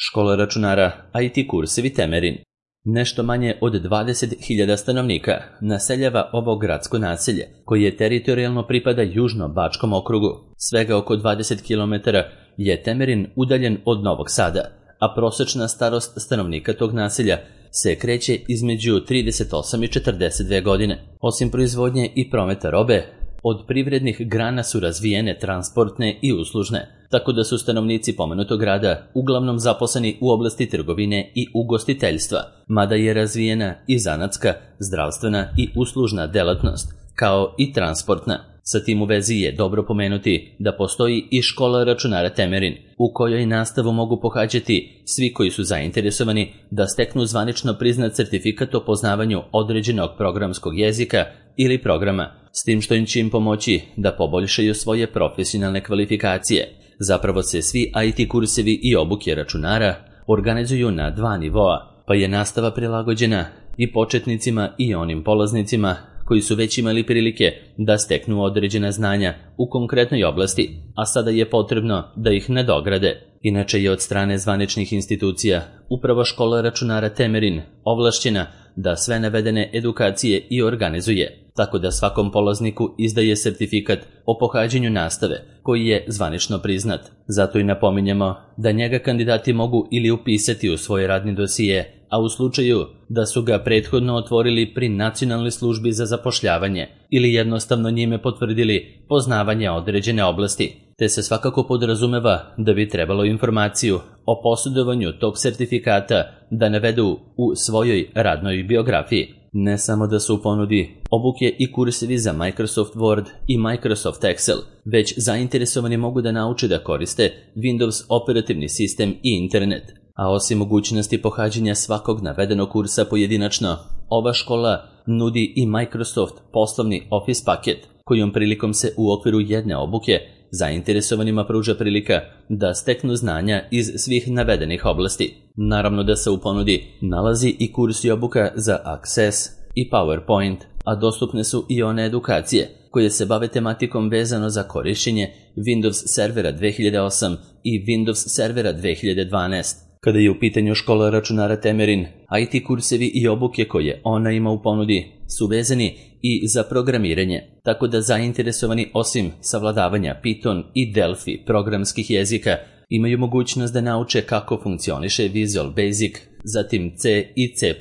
Škola računara IT kursevi Temerin. Nešto manje od 20.000 stanovnika naseljava ovo gradsko naselje, koje teritorijalno pripada Južno-Bačkom okrugu. Svega oko 20 km je Temerin udaljen od Novog Sada, a prosečna starost stanovnika tog naselja se kreće između 38 i 42 godine. Osim proizvodnje i prometa robe, od privrednih grana su razvijene transportne i uslužne, tako da su stanovnici pomenutog grada uglavnom zaposleni u oblasti trgovine i ugostiteljstva, mada je razvijena i zanatska, zdravstvena i uslužna delatnost, kao i transportna. Sa tim u vezi je dobro pomenuti da postoji i škola računara Temerin, u kojoj nastavu mogu pohađati svi koji su zainteresovani da steknu zvanično priznat certifikat o poznavanju određenog programskog jezika ili programa, s tim što će im pomoći da poboljšaju svoje profesionalne kvalifikacije. Zapravo se svi IT kursevi i obuke računara organizuju na dva nivoa, pa je nastava prilagođena i početnicima i onim polaznicima koji su već imali prilike da steknu određena znanja u konkretnoj oblasti, a sada je potrebno da ih nadograde. Inače je od strane zvaničnih institucija upravo škola računara Temerin ovlašćena da sve navedene edukacije i organizuje, tako da svakom polazniku izdaje sertifikat o pohađanju nastave, koji je zvanično priznat. Zato i napominjemo da njega kandidati mogu ili upisati u svoj radni dosije, a u slučaju da su ga prethodno otvorili pri Nacionalnoj službi za zapošljavanje ili jednostavno njime potvrdili poznavanje određene oblasti, te se svakako podrazumeva da bi trebalo informaciju o posjedovanju tog sertifikata da navedu u svojoj radnoj biografiji. Ne samo da su u ponudi obuke i kursevi za Microsoft Word i Microsoft Excel, već zainteresovani mogu da nauče da koriste Windows operativni sistem i internet. A osim mogućnosti pohađanja svakog navedenog kursa pojedinačno, ova škola nudi i Microsoft poslovni Office paket, kojom prilikom se u okviru jedne obuke zainteresovanima pruža prilika da steknu znanja iz svih navedenih oblasti. Naravno da se u ponudi nalazi i kurs i obuka za Access i PowerPoint, a dostupne su i one edukacije koje se bave tematikom vezano za korišćenje Windows Servera 2008 i Windows Servera 2012. Kada je u pitanju škola računara Temerin, IT kursevi i obuke koje ona ima u ponudi su vezani i za programiranje, tako da zainteresovani osim savladavanja Python i Delphi programskih jezika imaju mogućnost da nauče kako funkcioniše Visual Basic, zatim C i C++.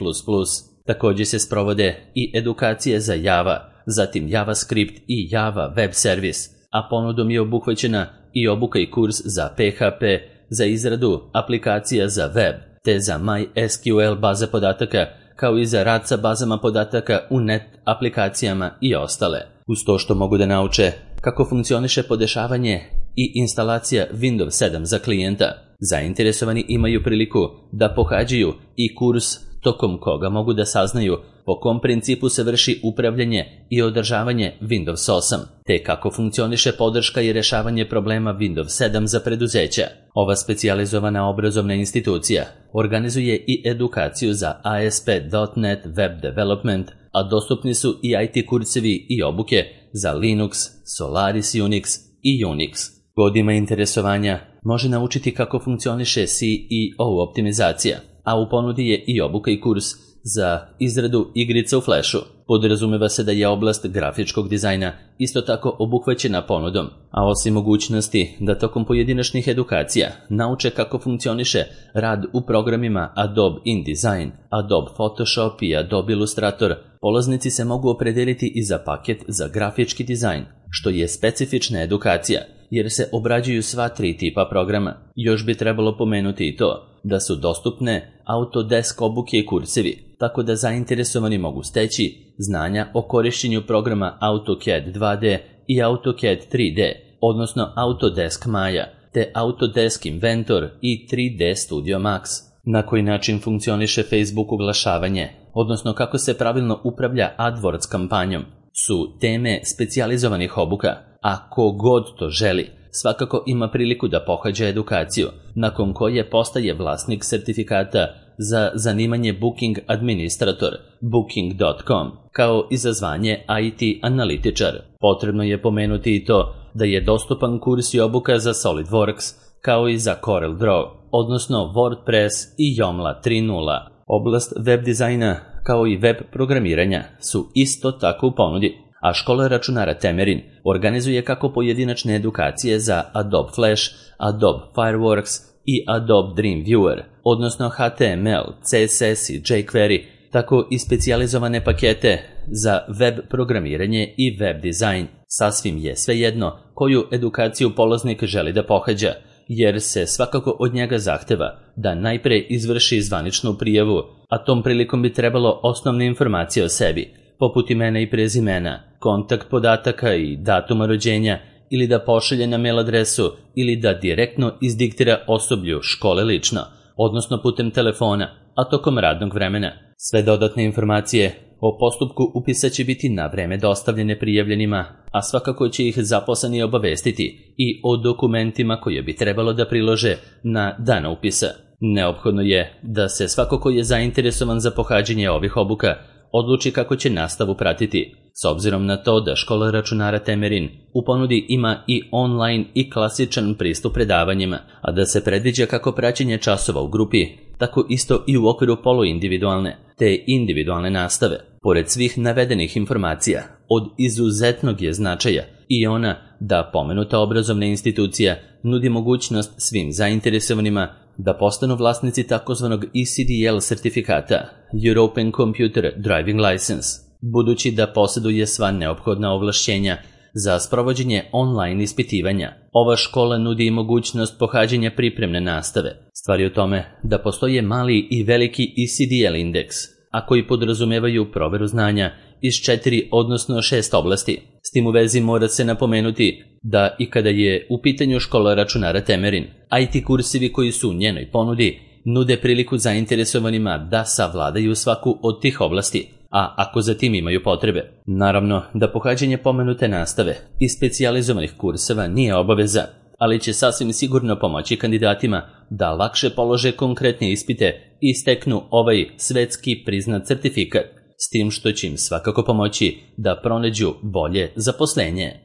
Također se sprovode i edukacije za Java, zatim JavaScript i Java Web Service, a ponudom je obuhvaćena i obuka i kurs za PHP, za izradu aplikacija za web, te za MySQL baze podataka, kao i za rad sa bazama podataka u net aplikacijama i ostale. Uz to što mogu da nauče kako funkcioniše podešavanje i instalacija Windows 7 za klijenta, zainteresovani imaju priliku da pohađaju i kurs tokom koga mogu da saznaju po kom principu se vrši upravljanje i održavanje Windows 8, te kako funkcioniše podrška i rešavanje problema Windows 7 za preduzeća. Ova specijalizovana obrazovna institucija organizuje i edukaciju za ASP.NET Web Development, a dostupni su i IT kursevi i obuke za Linux, Solaris Unix i Unix. Ko ima interesovanja može naučiti kako funkcioniše CEO optimizacija, a u ponudi je i obuka i kurs za izradu igrica u Flashu. Podrazumeva se da je oblast grafičkog dizajna isto tako obuhvaćena ponudom, a osim mogućnosti da tokom pojedinačnih edukacija nauče kako funkcioniše rad u programima Adobe InDesign, Adobe Photoshop i Adobe Illustrator, polaznici se mogu opredeliti i za paket za grafički dizajn, što je specifična edukacija, jer se obrađuju sva tri tipa programa. Još bi trebalo pomenuti i to da su dostupne Autodesk obuke i kursevi, tako da zainteresovani mogu steći znanja o korišćenju programa AutoCAD 2D i AutoCAD 3D, odnosno Autodesk Maya, te Autodesk Inventor i 3D Studio Max. Na koji način funkcioniše Facebook oglašavanje, odnosno kako se pravilno upravlja AdWords kampanjom, su teme specijalizovanih obuka, a ko god to želi svakako ima priliku da pohađa edukaciju, nakon koje postaje vlasnik sertifikata za zanimanje Booking Administrator, Booking.com, kao i za zvanje IT analitičar. Potrebno je pomenuti i to da je dostupan kurs i obuka za SolidWorks, kao i za CorelDRAW, odnosno WordPress i Joomla 3.0. Oblast web dizajna, kao i web programiranja, su isto tako u ponudi, a škola računara Temerin organizuje kako pojedinačne edukacije za Adobe Flash, Adobe Fireworks i Adobe Dreamweaver, odnosno HTML, CSS i jQuery, tako i specijalizovane pakete za web programiranje i web dizajn. Sasvim je svejedno koju edukaciju polaznik želi da pohađa, jer se svakako od njega zahteva da najpre izvrši zvaničnu prijavu, a tom prilikom bi trebalo osnovne informacije o sebi, poput imena i prezimena, kontakt podataka i datuma rođenja, ili da pošalje na mail adresu ili da direktno izdiktira osoblju škole lično, odnosno putem telefona, a tokom radnog vremena. Sve dodatne informacije o postupku upisa će biti na vreme dostavljene prijavljenima, a svakako će ih zaposleni obavestiti i o dokumentima koje bi trebalo da prilože na dan upisa. Neophodno je da se svako ko je zainteresovan za pohađanje ovih obuka odluči kako će nastavu pratiti, s obzirom na to da škola računara Temerin u ponudi ima i online i klasičan pristup predavanjima, a da se predviđa kako praćenje časova u grupi, tako isto i u okviru poluindividualne te individualne nastave. Pored svih navedenih informacija, od izuzetnog je značaja i ona da pomenuta obrazovna institucija nudi mogućnost svim zainteresovanima da postanu vlasnici takozvanog ECDL sertifikata, European Computer Driving License, budući da posjeduje sva neophodna ovlašćenja za sprovođenje online ispitivanja. Ova škola nudi i mogućnost pohađanja pripremne nastave. Stvar je u tome da postoje mali i veliki ECDL indeks, a koji podrazumevaju proveru znanja iz 4 odnosno 6 oblasti. S tim u vezi mora se napomenuti da i kada je u pitanju škola računara Temerin, IT kursevi koji su u njenoj ponudi nude priliku zainteresovanima da savladaju svaku od tih oblasti, a ako za tim imaju potrebe. Naravno da pohađanje pomenute nastave i specijalizovanih kurseva nije obaveza, ali će sasvim sigurno pomoći kandidatima da lakše polože konkretne ispite i steknu ovaj svetski priznat certifikat, s tim što će im svakako pomoći da pronađu bolje zaposlenje.